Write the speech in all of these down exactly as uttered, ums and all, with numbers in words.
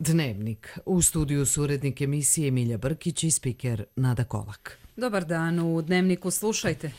Dnevnik. U studiju su urednik emisije Milja Brkić i spiker Nada Kolak. Dobar dan, u Dnevniku slušajte.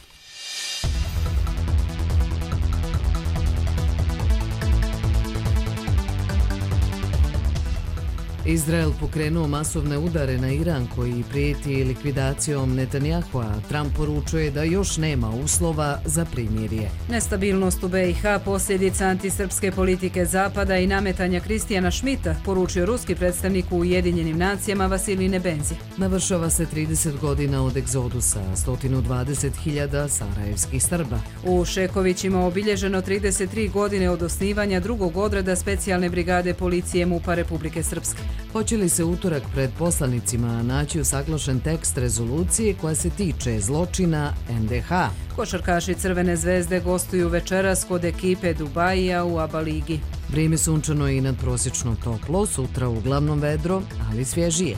Izrael pokrenuo masovne udare na Iran koji prijeti likvidacijom Netanjahua. Trump poručuje da još nema uslova za primirje. Nestabilnost u B i H posljedica antisrpske politike Zapada i nametanja Kristijana Šmita, poručio ruski predstavnik u Ujedinjenim nacijama Vasilij Nebenzija. Navršava se trideset godina od egzodusa, sto dvadeset hiljada sarajevskih Srba. U Šekovićima obilježeno trideset tri godine od osnivanja drugog odreda specijalne brigade policije MUP-a Republike Srpske. Hoće li se utorak pred poslanicima naći usaglašen tekst rezolucije koja se tiče zločina en de ha? Košarkaši Crvene zvezde gostuju večeras kod ekipe Dubajija u ABA ligi. Vrijeme sunčano i nadprosječno toplo, sutra uglavnom vedro, ali svježije.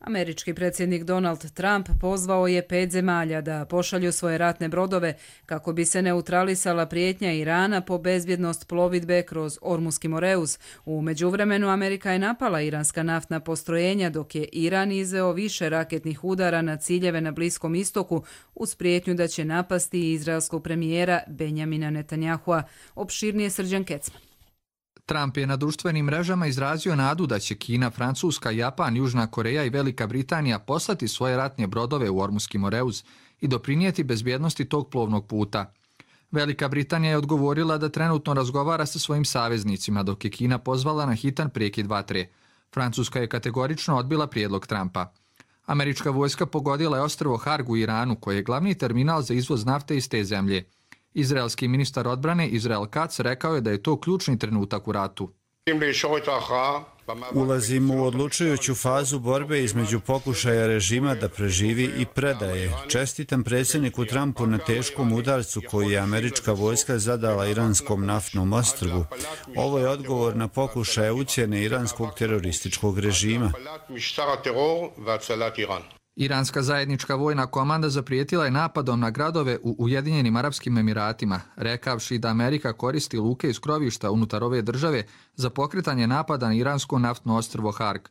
Američki predsjednik Donald Trump pozvao je pet zemalja da pošalju svoje ratne brodove kako bi se neutralisala prijetnja Irana po bezbjednost plovidbe kroz Ormuski Moreus. U međuvremenu Amerika je napala iranska naftna postrojenja dok je Iran izveo više raketnih udara na ciljeve na Bliskom istoku uz prijetnju da će napasti izraelskog premijera Benjamina Netanjahua. Opširnije Srđan Kecman. Trump je na društvenim mrežama izrazio nadu da će Kina, Francuska, Japan, Južna Koreja i Velika Britanija poslati svoje ratne brodove u Ormuski Moreus i doprinijeti bezbjednosti tog plovnog puta. Velika Britanija je odgovorila da trenutno razgovara sa svojim saveznicima, dok je Kina pozvala na hitan prekid vatre. Francuska je kategorično odbila prijedlog Trumpa. Američka vojska pogodila je ostrvo Harg u Iranu, koje je glavni terminal za izvoz nafte iz te zemlje. Izraelski ministar odbrane Israel Katz rekao je da je to ključni trenutak u ratu. Ulazimo u odlučujuću fazu borbe između pokušaja režima da preživi i predaje. Čestitam predsjedniku Trumpu na teškom udarcu koji je američka vojska zadala iranskom naftnom ostrvu. Ovo je odgovor na pokušaje ucjene iranskog terorističkog režima. Iranska zajednička vojna komanda zaprijetila je napadom na gradove u Ujedinjenim Arapskim Emiratima, rekavši da Amerika koristi luke iz krovišta unutar ove države za pokretanje napada na iransko naftno ostrvo Harg.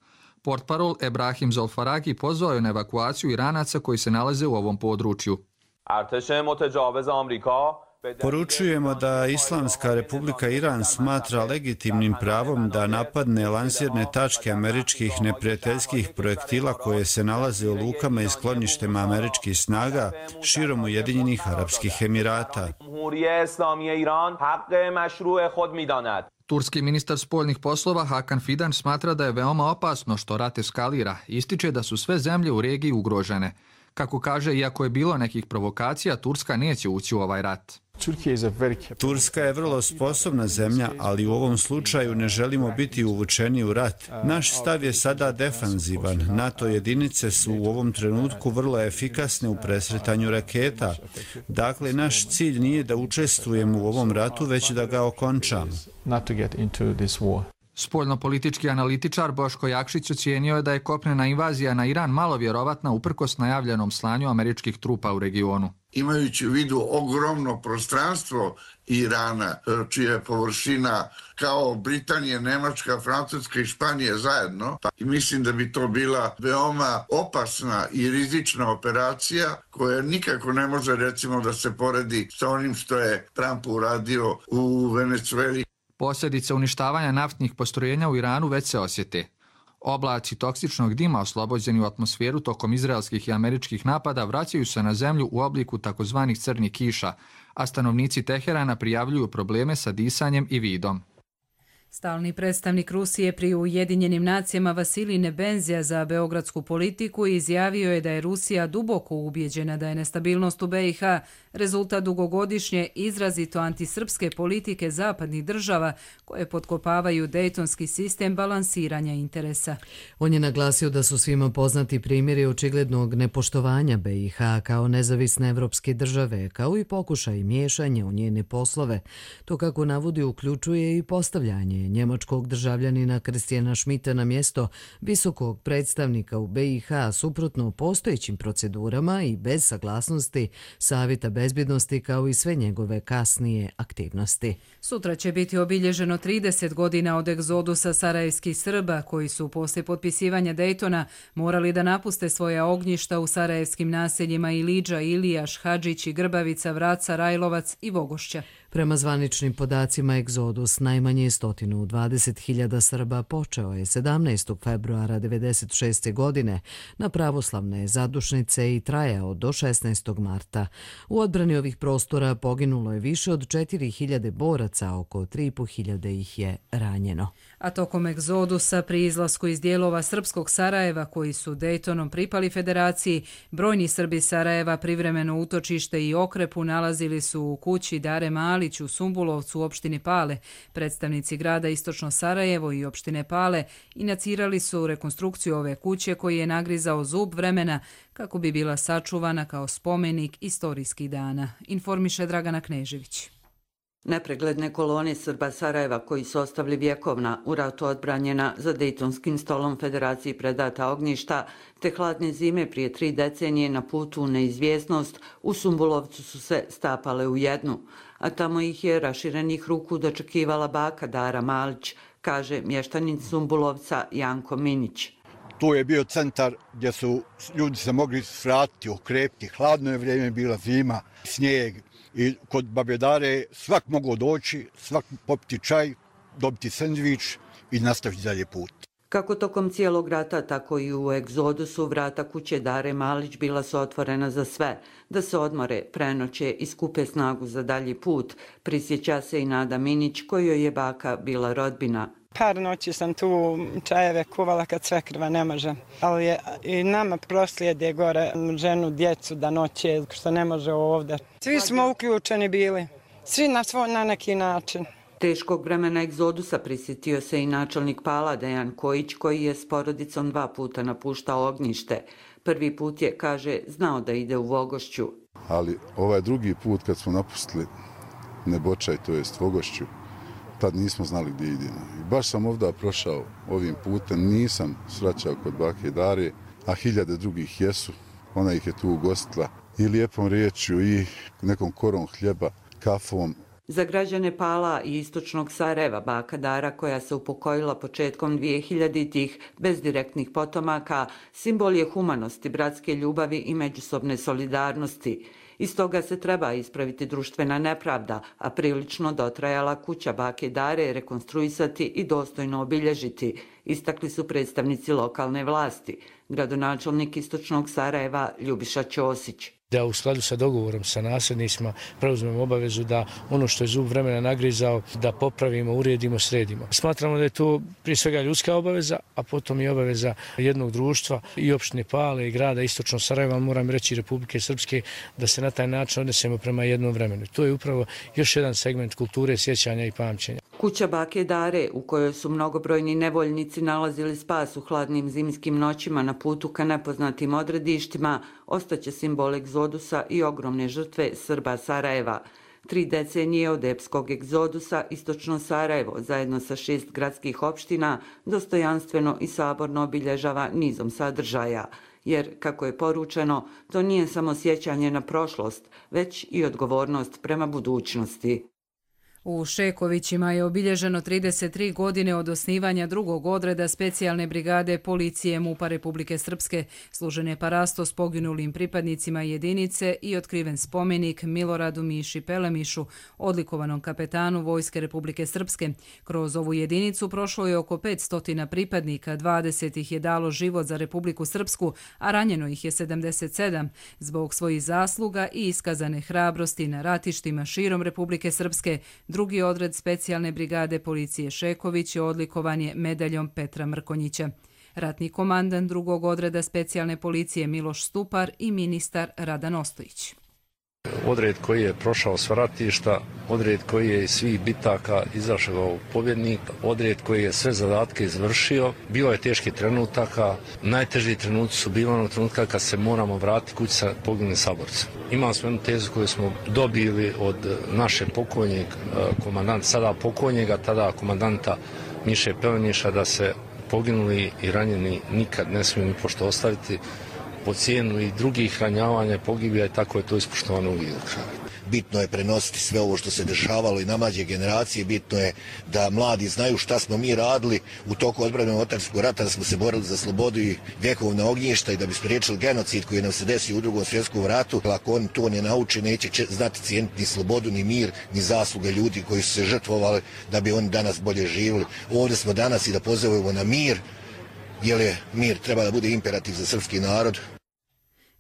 Portparol Ebrahim Zolfaragi pozvao je na evakuaciju Iranaca koji se nalaze u ovom području. Poručujemo da Islamska Republika Iran smatra legitimnim pravom da napadne lansirne tačke američkih neprijateljskih projektila koje se nalaze u lukama i skloništima američkih snaga širom Ujedinjenih Arapskih Emirata. Turski ministar spoljnih poslova Hakan Fidan smatra da je veoma opasno što rat eskalira. Ističe da su sve zemlje u regiji ugrožene. Kako kaže, iako je bilo nekih provokacija, Turska neće ući u ovaj rat. Turska je vrlo sposobna zemlja, ali u ovom slučaju ne želimo biti uvučeni u rat. Naš stav je sada defanzivan. NATO jedinice su u ovom trenutku vrlo efikasne u presretanju raketa. Dakle, naš cilj nije da učestvujemo u ovom ratu, već da ga okončamo. Spoljnopolitički analitičar Boško Jakšić ocijenio je da je kopnena invazija na Iran malo vjerovatna uprkos najavljenom slanju američkih trupa u regionu. Imajući u vidu ogromno prostranstvo Irana, čija je površina kao Britanije, Nemačka, Francuska i Španije zajedno, i mislim da bi to bila veoma opasna i rizična operacija koja nikako ne može recimo da se poredi sa onim što je Trump uradio u Venecueli. Posljedice uništavanja naftnih postrojenja u Iranu već se osjete. Oblaci toksičnog dima oslobođeni u atmosferu tokom izraelskih i američkih napada vraćaju se na zemlju u obliku takozvanih crnih kiša, a stanovnici Teherana prijavljuju probleme sa disanjem i vidom. Stalni predstavnik Rusije pri Ujedinjenim nacijama Vasilij Nebenzija za beogradsku politiku izjavio je da je Rusija duboko ubijeđena da je nestabilnost u B i H rezultat dugogodišnje izrazito antisrpske politike zapadnih država koje potkopavaju dejtonski sistem balansiranja interesa. On je naglasio da su svima poznati primjeri očiglednog nepoštovanja B i H kao nezavisne evropske države, kao i pokušaj miješanja u njene poslove. To, kako navodi, uključuje i postavljanje imenovanje njemačkog državljanina Kristijana Schmidta na mjesto visokog predstavnika u B i H suprotno postojećim procedurama i bez saglasnosti Savjeta bezbjednosti kao i sve njegove kasnije aktivnosti. Sutra će biti obilježeno trideset godina od egzodusa sarajevskih Srba koji su poslije potpisivanja Dejtona morali da napuste svoja ognjišta u sarajevskim naseljima Ilidža, Ilijaš, Hadžić i Grbavica, Vraca, Rajlovac i Vogošća. Prema zvaničnim podacima, egzodus najmanje sto dvadeset hiljada Srba počeo je sedamnaestog februara devedeset šeste. godine na pravoslavne zadušnice i trajao do šesnaestog marta. U odbrani ovih prostora poginulo je više od četiri hiljade boraca, oko tri i po hiljade ih je ranjeno. A tokom egzodusa pri izlasku iz dijelova srpskog Sarajeva koji su Dejtonom pripali federaciji, brojni Srbi Sarajeva privremeno utočište i okrepu nalazili su u kući Dare Malić u Sumbulovcu u opštini Pale. Predstavnici grada Istočno Sarajevo i opštine Pale inicirali su rekonstrukciju ove kuće koji je nagrizao zub vremena kako bi bila sačuvana kao spomenik istorijskih dana, informiše Dragana Knežević. Nepregledne kolone Srba Sarajeva koji su ostavili vjekovna u ratu odbranjena za Dejtonskim stolom Federaciji predata ognjišta, te hladne zime prije tri decenije na putu u neizvjesnost u Sumbulovcu su se stapale u jednu, a tamo ih je raširenih ruku dočekivala baka Dara Malić, kaže mještanin Sumbulovca Janko Minić. Tu je bio centar gdje su ljudi se mogli svratiti, okrepiti, hladno je vrijeme, bila zima, snijeg. I kod babe Dare svak mogao doći, svak popiti čaj, dobiti sendvič i nastaviti dalje put. Kako tokom cijelog rata, tako i u egzodusu vrata kuće Dare Malić bila su otvorena za sve, da se odmore, prenoće i skupe snagu za dalji put, prisjeća se i Nada Minić, kojoj je baka bila rodbina. Par noći sam tu čajeve kuvala kad svekrva ne može, ali je i nama proslijede gore ženu, djecu da noće, što ne može ovdje. Svi smo uključeni bili, svi na svoj na neki način. Teškog vremena egzodusa prisjetio se i načelnik Pala Dejan Kojić, koji je s porodicom dva puta napuštao ognjište. Prvi put je, kaže, znao da ide u Vogošću. Ali ovaj drugi put kad smo napustili Nebočaj, to jest Vogošću, tad nismo znali gdje idemo. I baš sam ovdje prošao ovim putem, nisam svraćao kod bake Dare, a hiljade drugih jesu. Ona ih je tu ugostila i lijepom riječju i nekom korom hljeba, kafom. Za građane Pala i istočnog Sarajeva baka Dara, koja se upokojila početkom dvije hiljaditih bez direktnih potomaka, simbol je humanosti, bratske ljubavi i međusobne solidarnosti. Iz toga se treba ispraviti društvena nepravda, a prilično dotrajala kuća bake Dare rekonstruisati i dostojno obilježiti, istakli su predstavnici lokalne vlasti, gradonačelnik Istočnog Sarajeva Ljubiša Ćosić. Da u skladu sa dogovorom sa nasljednicima preuzmemo obavezu da ono što je zub vremena nagrizao da popravimo, uredimo, sredimo. Smatramo da je to prije svega ljudska obaveza, a potom i obaveza jednog društva i opštine Pale i grada Istočno Sarajeva, moram reći Republike Srpske, da se na taj način odnesemo prema jednom vremenu. To je upravo još jedan segment kulture, sjećanja i pamćenja. Kuća bake Dare, u kojoj su mnogobrojni nevoljnici nalazili spas u hladnim zimskim noćima na putu ka nepoznatim odredištima, ostaće simbol egzodusa i ogromne žrtve Srba Sarajeva. Tri decenije od epskog egzodusa Istočno Sarajevo, zajedno sa šest gradskih opština, dostojanstveno i saborno obilježava nizom sadržaja. Jer, kako je poručeno, to nije samo sjećanje na prošlost, već i odgovornost prema budućnosti. U Šekovićima je obilježeno trideset tri godine od osnivanja drugog odreda specijalne brigade policije MUP-a Republike Srpske. Služen je parasto s poginulim pripadnicima jedinice i otkriven spomenik Miloradu Miši Pelemišu, odlikovanom kapetanu Vojske Republike Srpske. Kroz ovu jedinicu prošlo je oko petsto pripadnika, dvadeset ih je dalo život za Republiku Srpsku, a ranjeno ih je sedamdeset sedam. Zbog svojih zasluga i iskazane hrabrosti na ratištima širom Republike Srpske, drugi odred specijalne brigade policije Šeković je odlikovan je medaljom Petra Mrkonjića. Ratni komandant drugog odreda specijalne policije Miloš Stupar i ministar Radan Ostojić. Odred koji je prošao sva ratišta, odred koji je iz svih bitaka izašao pobjednik, odred koji je sve zadatke izvršio. Bilo je teških trenutaka, najteži trenuci su bili onog trenutka kad se moramo vratiti kući sa poginulim saborcem. Imali smo jednu tezu koju smo dobili od naše pokojnjeg komandanta, sada pokojnjega, tada komandanta Miše Peleniša, da se poginuli i ranjeni nikad ne smiju ni pošto ostaviti po cijenu i drugih ranjavanja, pogibija i tako je to ispoštovano uvijek do kraja. Bitno je prenositi sve ovo što se dešavalo i na mlađe generacije, bitno je da mladi znaju šta smo mi radili u toku odbrane Otranskog rata, da smo se borili za slobodu i vjekovna ognjišta i da bi spriječili genocid koji nam se desio u Drugom svjetskom ratu. Ako oni to ne nauče, neće znati cijeniti ni slobodu, ni mir, ni zasluge ljudi koji su se žrtvovali da bi oni danas bolje živjeli. Ovdje smo danas i da pozovemo na mir, jer je mir treba da bude imperativ za srpski narod.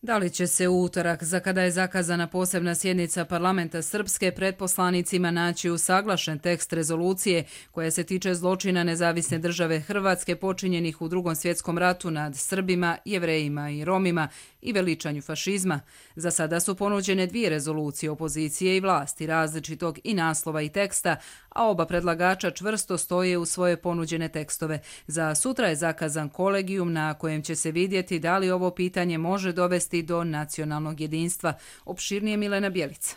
Da li će se u utorak, za kada je zakazana posebna sjednica parlamenta Srpske, pred poslanicima naći usaglašen tekst rezolucije koja se tiče zločina nezavisne države Hrvatske počinjenih u Drugom svjetskom ratu nad Srbima, Jevrejima i Romima i veličanju fašizma? Za sada su ponuđene dvije rezolucije opozicije i vlasti, različitog i naslova i teksta, a oba predlagača čvrsto stoje u svoje ponuđene tekstove. Za sutra je zakazan kolegijum na kojem će se vidjeti da li ovo pitanje može dovesti do nacionalnog jedinstva. Opširnije Milena Bjelica.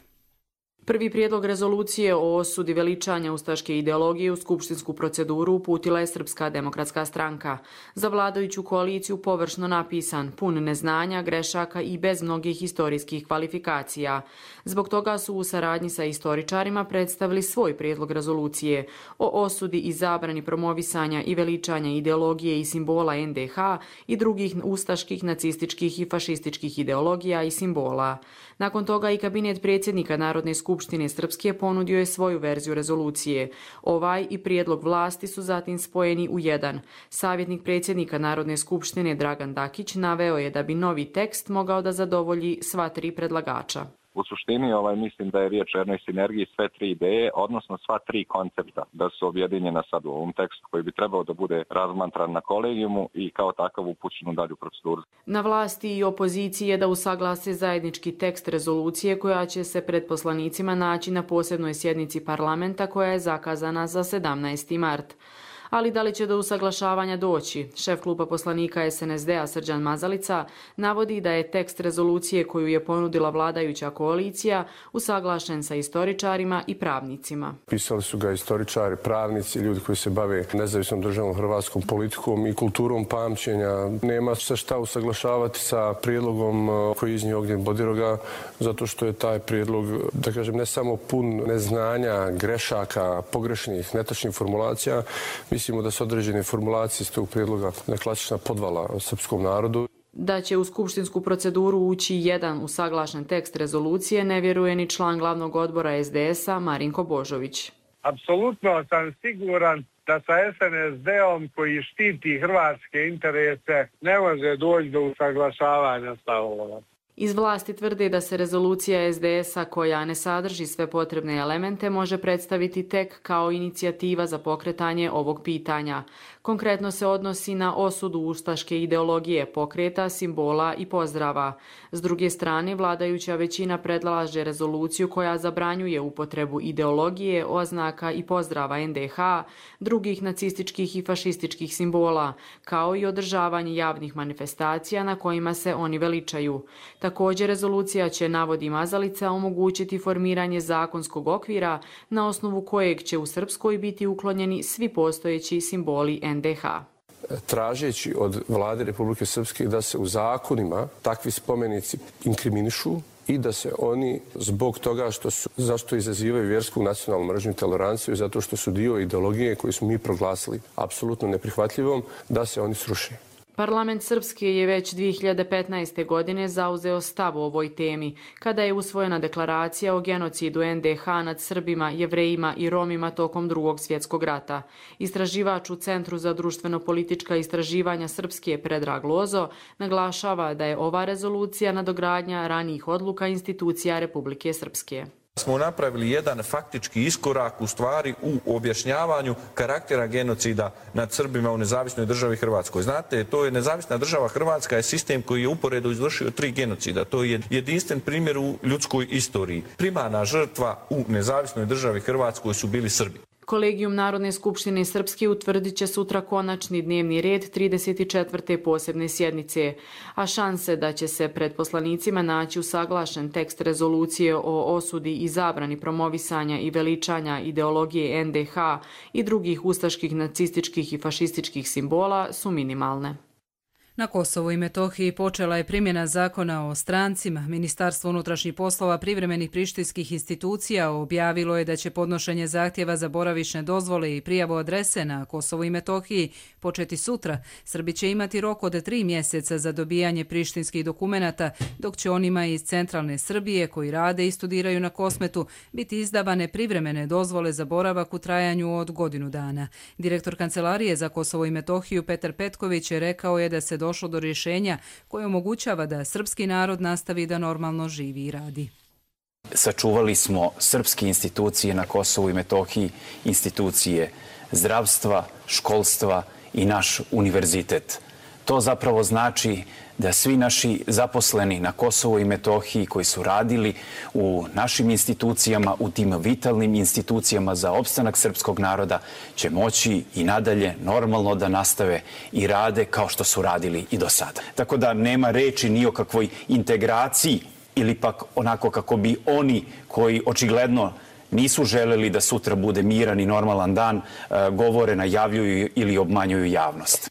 Prvi prijedlog rezolucije o osudi veličanja ustaške ideologije u skupštinsku proceduru uputila je Srpska demokratska stranka. Za vladajuću koaliciju površno napisan, pun neznanja, grešaka i bez mnogih historijskih kvalifikacija. Zbog toga su u saradnji sa istoričarima predstavili svoj prijedlog rezolucije o osudi i zabrani promovisanja i veličanja ideologije i simbola en de ha i drugih ustaških, nacističkih i fašističkih ideologija i simbola. Nakon toga i kabinet predsjednika Narodne skupštine Srpske ponudio je svoju verziju rezolucije. Ovaj i prijedlog vlasti su zatim spojeni u jedan. Savjetnik predsjednika Narodne skupštine Dragan Dakić naveo je da bi novi tekst mogao da zadovolji sva tri predlagača. U suštini ovaj, mislim da je riječ o jednoj sinergiji sve tri ideje, odnosno sva tri koncepta da su objedinjena sad u ovom tekstu koji bi trebao da bude razmatran na kolegijumu i kao takav upućen u dalju proceduru. Na vlasti i opoziciji je da usaglase zajednički tekst rezolucije koja će se pred poslanicima naći na posebnoj sjednici parlamenta koja je zakazana za sedamnaesti mart. Ali da li će do usaglašavanja doći? Šef kluba poslanika es en es de-a Srđan Mazalica navodi da je tekst rezolucije koju je ponudila vladajuća koalicija usaglašen sa istoričarima i pravnicima. Pisali su ga istoričari, pravnici, ljudi koji se bave nezavisnom državnom hrvatskom politikom i kulturom pamćenja. Nema se šta usaglašavati sa prijedlogom koji je iznio Ognjen Bodiroga, zato što je taj prijedlog, da kažem, ne samo pun neznanja, grešaka, pogrešnih, netačnih formulacija. Mislimo da su određene formulacije iz tog prijedloga neklasična podvala o srpskom narodu. Da će u skupštinsku proceduru ući jedan usaglašen tekst rezolucije ne vjeruje ni član glavnog odbora es de es-a Marinko Božović. Apsolutno sam siguran da sa es en es de-om koji štiti hrvatske interese ne može doći do usaglašavanja stavova. Iz vlasti tvrde da se rezolucija es de es-a koja ne sadrži sve potrebne elemente može predstaviti tek kao inicijativa za pokretanje ovog pitanja. Konkretno se odnosi na osudu ustaške ideologije, pokreta, simbola i pozdrava. S druge strane, vladajuća većina predlaže rezoluciju koja zabranjuje upotrebu ideologije, oznaka i pozdrava en de ha, drugih nacističkih i fašističkih simbola, kao i održavanje javnih manifestacija na kojima se oni veličaju. Također, rezolucija će, navodi Mazalica, omogućiti formiranje zakonskog okvira na osnovu kojeg će u Srpskoj biti uklonjeni svi postojeći simboli en de ha. Tražeći od vlade Republike Srpske da se u zakonima takvi spomenici inkriminišu i da se oni zbog toga što su, zašto izazivaju vjersku nacionalnu mržnju i toleranciju, zato što su dio ideologije koju smo mi proglasili apsolutno neprihvatljivom, da se oni sruše. Parlament Srpske je već dvije hiljade petnaeste. godine zauzeo stav o ovoj temi, kada je usvojena deklaracija o genocidu en de ha nad Srbima, Jevrejima i Romima tokom Drugog svjetskog rata. Istraživač u Centru za društveno-politička istraživanja Srpske Predrag Lozo naglašava da je ova rezolucija nadogradnja ranijih odluka institucija Republike Srpske. Smo napravili jedan faktički iskorak u stvari u objašnjavanju karaktera genocida nad Srbima u nezavisnoj državi Hrvatskoj. Znate, to je nezavisna država Hrvatska je sistem koji je uporedo izvršio tri genocida. To je jedinstven primjer u ljudskoj istoriji. Primarna žrtva u nezavisnoj državi Hrvatskoj su bili Srbi. Kolegijum Narodne skupštine Srpske utvrdit će sutra konačni dnevni red trideset četvrte posebne sjednice, a šanse da će se pred poslanicima naći usaglašen tekst rezolucije o osudi i zabrani promovisanja i veličanja ideologije en de ha i drugih ustaških, nacističkih i fašističkih simbola su minimalne. Na Kosovu i Metohiji počela je primjena zakona o strancima. Ministarstvo unutrašnjih poslova privremenih prištinskih institucija objavilo je da će podnošenje zahtjeva za boravišne dozvole i prijavu adrese na Kosovu i Metohiji početi sutra. Srbi će imati rok od tri mjeseca za dobijanje prištinskih dokumenata, dok će onima iz centralne Srbije koji rade i studiraju na Kosmetu biti izdavane privremene dozvole za boravak u trajanju od godinu dana. Direktor Kancelarije za Kosovo i Metohiju Petar Petković je rekao je da se došlo do rješenja koje omogućava da srpski narod nastavi da normalno živi i radi. Sačuvali smo srpske institucije na Kosovu i Metohiji, institucije zdravstva, školstva i naš univerzitet. To zapravo znači da svi naši zaposleni na Kosovu i Metohiji koji su radili u našim institucijama, u tim vitalnim institucijama za opstanak srpskog naroda, će moći i nadalje normalno da nastave i rade kao što su radili i do sada. Tako da nema reči ni o kakvoj integraciji ili pak onako kako bi oni koji očigledno nisu želeli da sutra bude miran i normalan dan, govore, najavljuju ili obmanjuju javnost.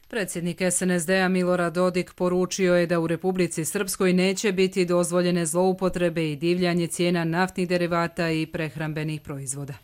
Predsjednik es en es de a Milorad Dodik poručio je da u Republici Srpskoj neće biti dozvoljene zloupotrebe i divljanje cijena naftnih derivata i prehrambenih proizvoda.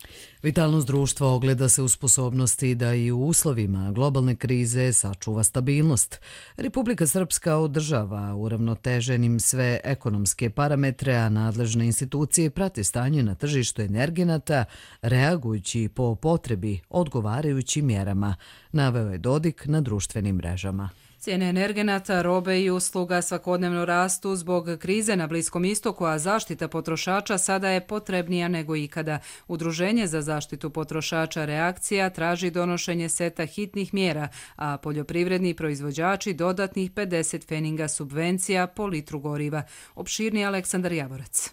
Vitalnost društva ogleda se u sposobnosti da i u uslovima globalne krize sačuva stabilnost. Republika Srpska održava uravnoteženim sve ekonomske parametre, a nadležne institucije prate stanje na tržištu energenata, reagujući po potrebi odgovarajućim mjerama, naveo je Dodik na društvenim mrežama. Cijene energenata, robe i usluga svakodnevno rastu zbog krize na Bliskom istoku, a zaštita potrošača sada je potrebnija nego ikada. Udruženje za zaštitu potrošača Reakcija traži donošenje seta hitnih mjera, a poljoprivredni proizvođači dodatnih pedeset pfeninga subvencija po litru goriva. Opširni Aleksandar Javorac.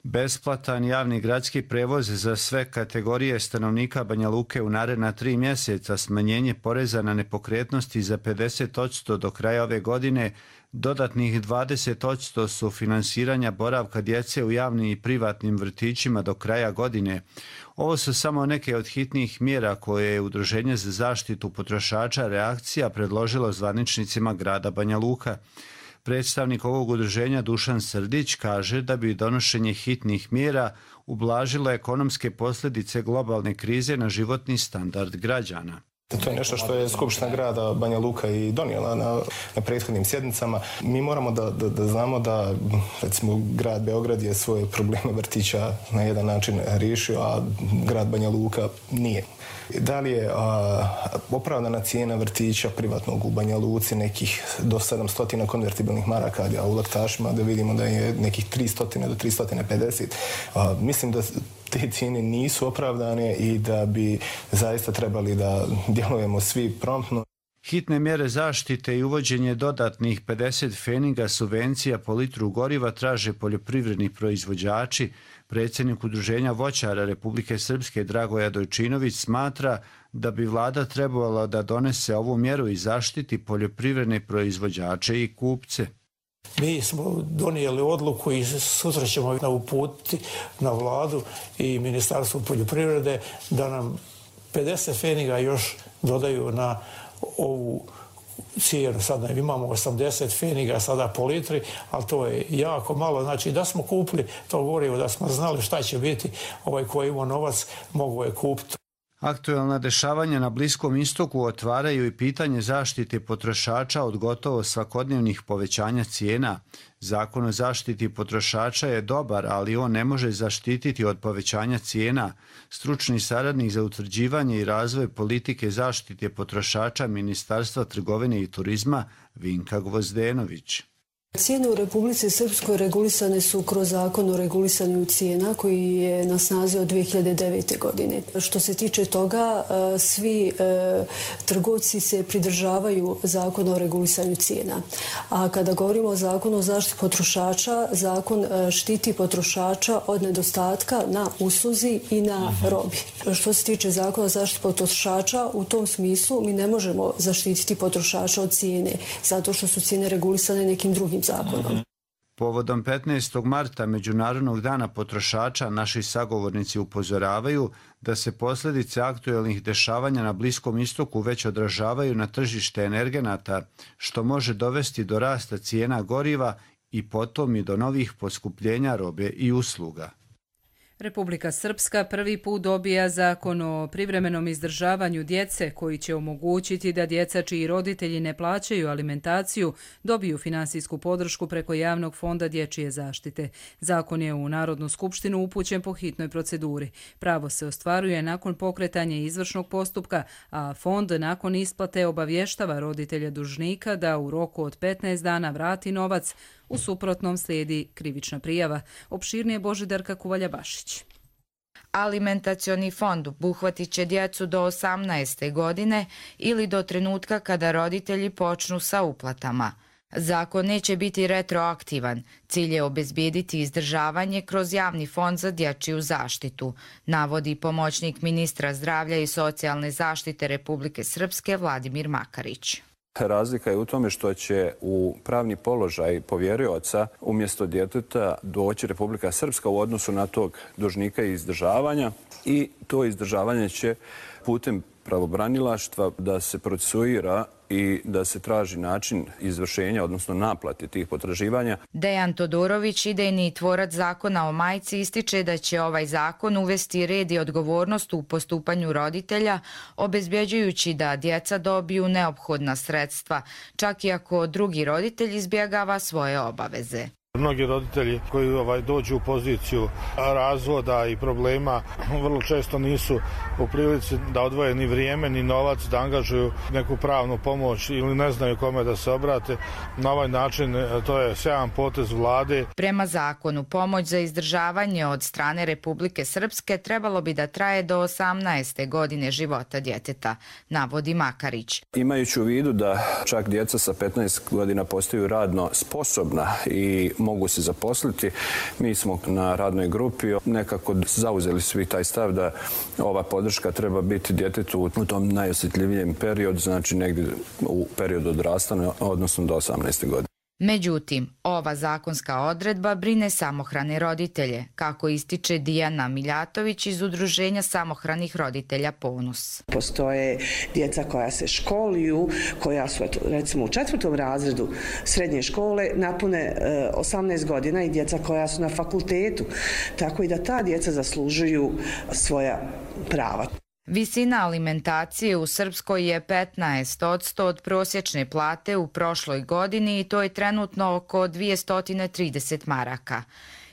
Besplatan javni gradski prevoz za sve kategorije stanovnika Banja Luke u naredna tri mjeseca, smanjenje poreza na nepokretnosti za pedeset posto do kraja ove godine, dodatnih dvadeset posto sufinansiranja boravka djece u javnim i privatnim vrtićima do kraja godine. Ovo su samo neke od hitnih mjera koje je Udruženje za zaštitu potrošača Reakcija predložilo zvaničnicima grada Banja Luka. Predstavnik ovog udruženja Dušan Srdić kaže da bi donošenje hitnih mjera ublažilo ekonomske posljedice globalne krize na životni standard građana. To je nešto što je Skupština grada Banja Luka i donijela na, na prethodnim sjednicama. Mi moramo da, da, da znamo da, recimo, grad Beograd je svoje probleme vrtića na jedan način riješio, a grad Banja Luka nije. Da li je a, opravdana cijena vrtića privatnog u Banja Luci nekih do sedamsto konvertibilnih maraka, a u Laktašima da vidimo da je nekih tristo do tristo pedeset. A, mislim da te cijene nisu opravdane i da bi zaista trebali da djelujemo svi promptno. Hitne mjere zaštite i uvođenje dodatnih pedeset pfeninga subvencija po litru goriva traže poljoprivredni proizvođači. Predsjednik Udruženja voćara Republike Srpske Dragoja Dojčinović smatra da bi vlada trebala da donese ovu mjeru i zaštiti poljoprivredne proizvođače i kupce. Mi smo donijeli odluku i sutra ćemo uputiti na vladu i Ministarstvo poljoprivrede da nam pedeset pfeniga još dodaju na ovu cijenu. Sad imamo osamdeset pfeniga sada po litri, ali to je jako malo. Znači da smo kupili to gorivo, da smo znali šta će biti, ovaj koji ima novac mogu je kupiti. Aktuelna dešavanja na Bliskom istoku otvaraju i pitanje zaštite potrošača od gotovo svakodnevnih povećanja cijena. Zakon o zaštiti potrošača je dobar, ali on ne može zaštititi od povećanja cijena. Stručni saradnik za utvrđivanje i razvoj politike zaštite potrošača Ministarstva trgovine i turizma Vinka Gvozdenović. Cijene u Republici Srpskoj regulisane su kroz zakon o regulisanju cijena koji je na snazi od dvije hiljade devete. godine. Što se tiče toga, svi trgovci se pridržavaju zakona o regulisanju cijena. A kada govorimo o zakonu o zaštiti potrošača, zakon štiti potrošača od nedostatka na usluzi i na robi. Što se tiče zakona o zaštiti potrošača, u tom smislu mi ne možemo zaštititi potrošača od cijene, zato što su cijene regulisane nekim drugim zakonom. Povodom petnaestog marta, Međunarodnog dana potrošača, naši sagovornici upozoravaju da se posljedice aktuelnih dešavanja na Bliskom istoku već odražavaju na tržište energenata, što može dovesti do rasta cijena goriva i potom i do novih poskupljenja robe i usluga. Republika Srpska prvi put dobija zakon o privremenom izdržavanju djece koji će omogućiti da djeca čiji roditelji ne plaćaju alimentaciju dobiju finansijsku podršku preko Javnog fonda dječje zaštite. Zakon je u Narodnu skupštinu upućen po hitnoj proceduri. Pravo se ostvaruje nakon pokretanja izvršnog postupka, a fond nakon isplate obavještava roditelja dužnika da u roku od petnaest dana vrati novac. U suprotnom slijedi krivična prijava. Opširnije Božidarka Kuvalja-Bašić. Alimentacioni fond obuhvatit će djecu do osamnaeste godine ili do trenutka kada roditelji počnu sa uplatama. Zakon neće biti retroaktivan. Cilj je obezbijediti izdržavanje kroz Javni fond za dječju zaštitu, navodi pomoćnik ministra zdravlja i socijalne zaštite Republike Srpske Vladimir Makarić. Razlika je u tome što će u pravni položaj povjerioca umjesto djeteta doći Republika Srpska u odnosu na tog dužnika i izdržavanja i to izdržavanje će putem pravobranilaštva da se procesuira i da se traži način izvršenja, odnosno naplate tih potraživanja. Dejan Todorović, idejni tvorac zakona o majci, ističe da će ovaj zakon uvesti red i odgovornost u postupanju roditelja, obezbjeđujući da djeca dobiju neophodna sredstva, čak i ako drugi roditelj izbjegava svoje obaveze. Mnogi roditelji koji ovaj, dođu u poziciju razvoda i problema vrlo često nisu u prilici da odvoje ni vrijeme ni novac, da angažuju neku pravnu pomoć ili ne znaju kome da se obrate. Na ovaj način to je sjajan potez vlade. Prema zakonu, pomoć za izdržavanje od strane Republike Srpske trebalo bi da traje do osamnaeste godine života djeteta, navodi Makarić. Imajući u vidu da čak djeca sa petnaest godina postaju radno sposobna i mogu se zaposliti, mi smo na radnoj grupi nekako zauzeli svi taj stav da ova podrška treba biti djetetu u tom najosjetljivijem periodu, znači negdje u periodu odrastanja, odnosno do osamnaeste godine. Međutim, ova zakonska odredba brine samohrane roditelje, kako ističe Dijana Miljatović iz Udruženja samohranih roditelja Ponos. Postoje djeca koja se školuju, koja su recimo u četvrtom razredu srednje škole, napune osamnaest godina i djeca koja su na fakultetu, tako i da ta djeca zaslužuju svoja prava. Visina alimentacije u Srpskoj je petnaest posto od prosječne plate u prošloj godini i to je trenutno oko dvjesto trideset maraka.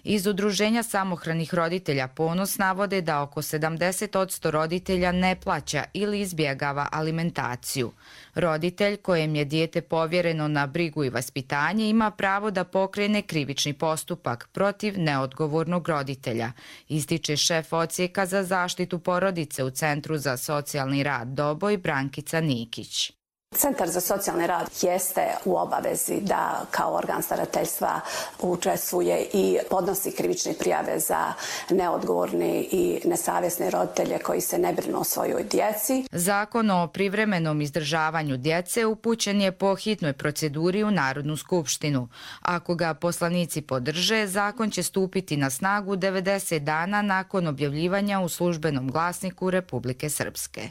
Iz Udruženja samohranih roditelja Ponos navode da oko sedamdeset posto roditelja ne plaća ili izbjegava alimentaciju. Roditelj kojem je dijete povjereno na brigu i vaspitanje ima pravo da pokrene krivični postupak protiv neodgovornog roditelja, ističe šef odsjeka za zaštitu porodice u Centru za socijalni rad Doboj Brankica Nikić. Centar za socijalni rad jeste u obavezi da kao organ starateljstva učestvuje i podnosi krivične prijave za neodgovorne i nesavjesne roditelje koji se ne brinu o svojoj djeci. Zakon o privremenom izdržavanju djece upućen je po hitnoj proceduri u Narodnu skupštinu. Ako ga poslanici podrže, zakon će stupiti na snagu devedeset dana nakon objavljivanja u službenom glasniku Republike Srpske.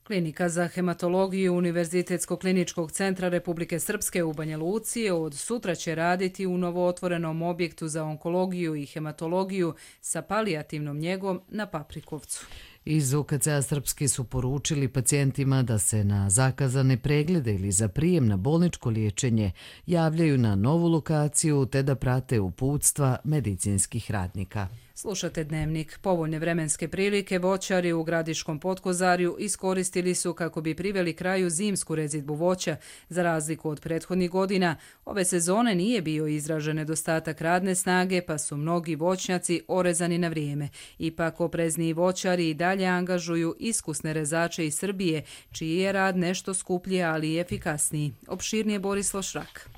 Klinika za hematologiju Univerzitetskog kliničkog centra Republike Srpske u Banja Luci od sutra će raditi u novootvorenom objektu za onkologiju i hematologiju sa palijativnom njegom na Paprikovcu. Iz U K C-a Srpski su poručili pacijentima da se na zakazane preglede ili za prijem na bolničko liječenje javljaju na novu lokaciju te da prate uputstva medicinskih radnika. Slušate Dnevnik. Povoljne vremenske prilike voćari u Gradiškom Potkozarju iskoristili su kako bi priveli kraju zimsku rezidbu voća. Za razliku od prethodnih godina, ove sezone nije bio izražen nedostatak radne snage, pa su mnogi voćnjaci orezani na vrijeme. Ipak oprezniji voćari i dalje angažuju iskusne rezače iz Srbije, čiji je rad nešto skuplji, ali i efikasniji. Opširnije Borislav Šrak.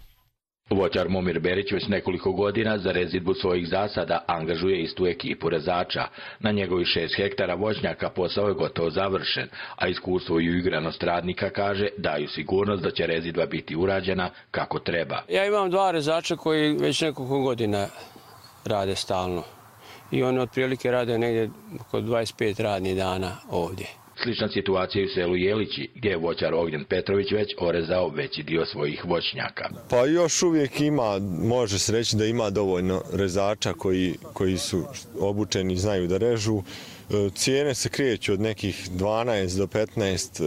Voćar Momir Berić već nekoliko godina za rezidbu svojih zasada angažuje istu ekipu rezača. Na njegovih šest hektara voćnjaka posao je gotovo završen, a iskustvo i uigranost radnika, kaže, daju sigurnost da će rezidba biti urađena kako treba. Ja imam dva rezača koji već nekoliko godina rade stalno i oni otprilike rade negdje oko dvadeset pet radnih dana ovdje. Slična situacija je u selu Jelići, gdje je voćar Ognjen Petrović već orezao veći dio svojih voćnjaka. Pa još uvijek ima, može se reći da ima dovoljno rezača koji, koji su obučeni i znaju da režu. Cijene se kreću od nekih dvanaest do petnaest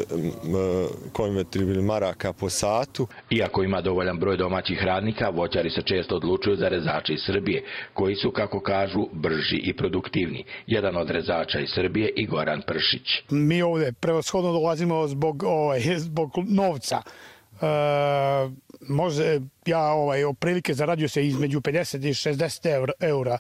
konvertibilnih maraka po satu. Iako ima dovoljan broj domaćih radnika, voćari se često odlučuju za rezače iz Srbije, koji su, kako kažu, brži i produktivni. Jedan od rezača iz Srbije i Goran Pršić. Mi ovdje prevashodno dolazimo zbog, ovaj, zbog novca. E, može, ja ovaj, oprilike zarađuju se između pedeset i šezdeset eura.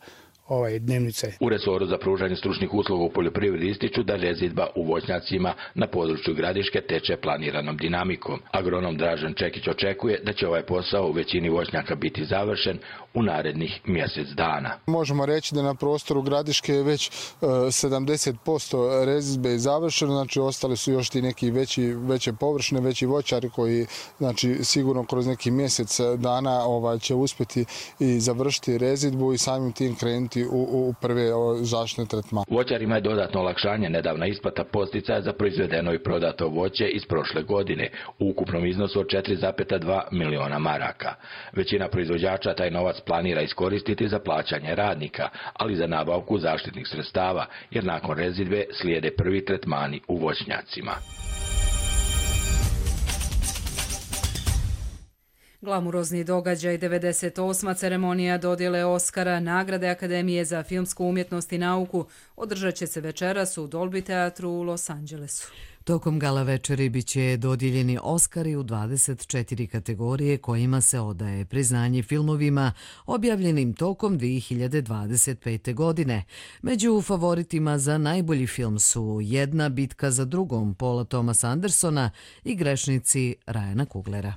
Ovaj, dnevnice. U resoru za pružanje stručnih usluga u poljoprivredi ističu da rezidba u voćnjacima na području Gradiške teče planiranom dinamikom. Agronom Dražen Čekić očekuje da će ovaj posao u većini voćnjaka biti završen u narednih mjesec dana. Možemo reći da na prostoru Gradiške je već uh, sedamdeset posto rezidbe je završeno, znači ostali su još ti neki veći, veće površine, veći voćari koji, znači, sigurno kroz neki mjesec dana ovaj, će uspjeti i završiti rezidbu i samim tim krenuti U, u prve zaštitne tretmane. Voćarima je dodatno olakšanje nedavna isplata podsticaja za proizvedeno i prodato voće iz prošle godine u ukupnom iznosu od četiri zarez dva miliona maraka. Većina proizvođača taj novac planira iskoristiti za plaćanje radnika, ali za nabavku zaštitnih sredstava, jer nakon rezidbe slijede prvi tretmani u voćnjacima. Glamurozni događaj, devedeset osma ceremonija dodjele Oskara, nagrade Akademije za filmsku umjetnost i nauku, održat će se večeras u Dolby teatru u Los Angelesu. Tokom gala večeri bit će dodijeljeni Oskari u dvadeset četiri kategorije kojima se odaje priznanje filmovima objavljenim tokom dvije hiljade dvadeset pete. godine. Među favoritima za najbolji film su Jedna bitka za drugom Paula Thomasa Andersona i Grešnici Ryana Kuglera.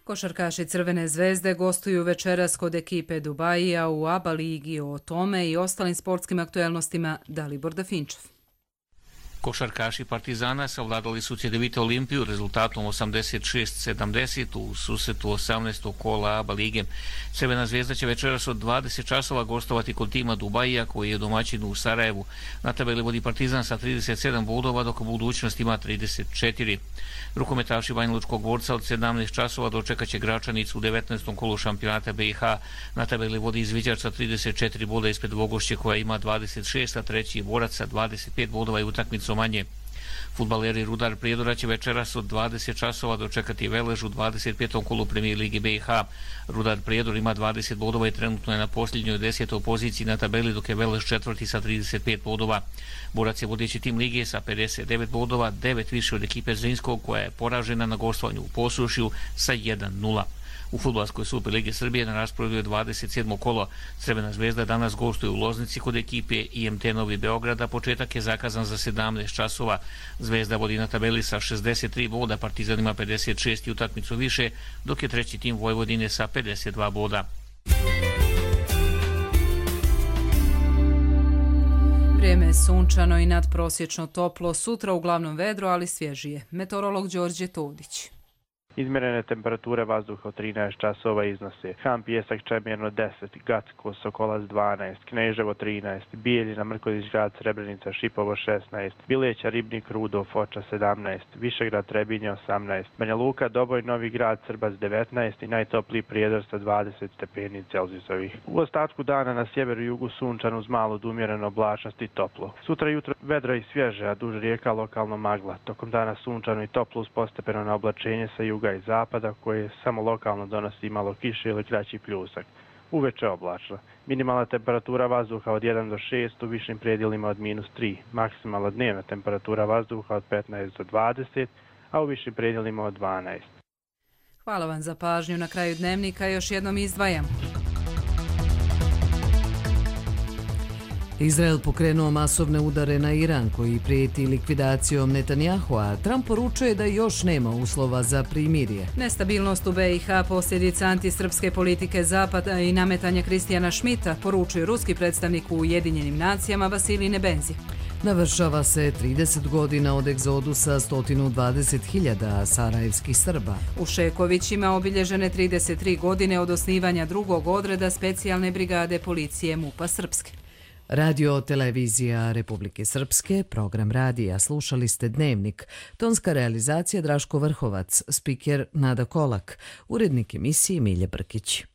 Košarkaši Crvene zvezde gostuju večeras kod ekipe Dubajija u A B A ligi. O tome i ostalim sportskim aktuelnostima Dalibor Dafinčev. Košarkaši Partizana savladali su Cedevita Olimpiju rezultatom osamdeset šest sedamdeset u susretu osamnaestog kola A B A lige. Crvena zvezda će večeras od dvadeset časova gostovati kod tima Dubajija koji je domaćin u Sarajevu. Na tabeli vodi Partizan sa trideset sedam bodova, dok budućnost ima trideset četiri. Rukometaši Banjalučkog Dvorca od sedamnaest časova dočekaće Gračanicu u devetnaestom kolu šampionata B i H. Na tabeli vodi Izviđač sa trideset četiri boda ispred Vogošće koja ima dvadeset šest, a treći je Borac sa dvadeset pet bodova i utakmicu manje. Fudbaleri Rudar Prijedora će večeras od dvadeset časova dočekati Velež u dvadeset petom kolu Premijer Lige B i H. Rudar Prijedor ima dvadeset bodova i trenutno je na posljednjoj desetoj poziciji na tabeli, dok je Velež četvrti sa trideset pet bodova. Borac je vodeći tim Lige sa pedeset devet bodova, devet više od ekipe Zrinskog koja je poražena na gostovanju u Posušju sa jedan nula. U fudbalskoj Superligi Srbije na rasporedu je dvadeset sedmo kolo. Crvena zvezda danas gostuje u Loznici kod ekipe I M T Novi Beograd, a početak je zakazan za sedamnaest časova. Zvezda vodi na tabeli sa šezdeset tri boda, Partizan ima pedeset šest i utakmicu više, dok je treći tim Vojvodine sa pedeset dva boda. Vrijeme je sunčano i nadprosječno toplo, sutra uglavnom vedro, ali svježije. Meteorolog Đorđe Todić. Izmjerene temperature vazduha od trinaest časova iznose Han Pijesak Čemirno deset, Gacko Sokolac dvanaest, Kneževo trinaest, Bijeljina Mrkodić Grad Srebrenica Šipovo šesnaest, Bileća Ribnik Rudo Foča sedamnaest, Višegrad Trebinje osamnaest, Banja Luka Doboj Novi Grad Srbac devetnaest i najtopliji Prijedor sa dvadeset stepeni Celzijusovih. U ostatku dana na sjeveru i jugu sunčan uz malo do umjerene oblačnosti i toplo. Sutra jutro vedra i svježe, a duž rijeka lokalno magla. Tokom dana sunčano i toplo uz postepeno na oblačenje sa juga juga i zapada koje samo lokalno donosi malo kiše ili kraći pljusak. Uveče oblačno. Minimalna temperatura vazduha od jedan do šest, u višim predjelima od minus tri. Maksimalna dnevna temperatura vazduha od petnaest do dvadeset, a u višim predjelima od dvanaest. Hvala vam za pažnju. Na kraju dnevnika još jednom izdvajam. Izrael pokrenuo masovne udare na Iran koji prijeti likvidacijom Netanjahua. Trump poručuje da još nema uslova za primirje. Nestabilnost u B i H posljedica antisrpske politike Zapada i nametanja Kristijana Šmita, poručuje ruski predstavnik u Ujedinjenim nacijama Vasilij Nebenzi. Navršava se trideset godina od egzodusa sto dvadeset hiljada sarajevskih Srba. U Šekovićima obilježene trideset tri godine od osnivanja drugog odreda specijalne brigade policije MUP-a Srpske. Radio Televizija Republike Srpske, program radija, slušali ste Dnevnik, tonska realizacija Draško Vrhovac, spiker Nada Kolak, urednik emisije Milje Brkić.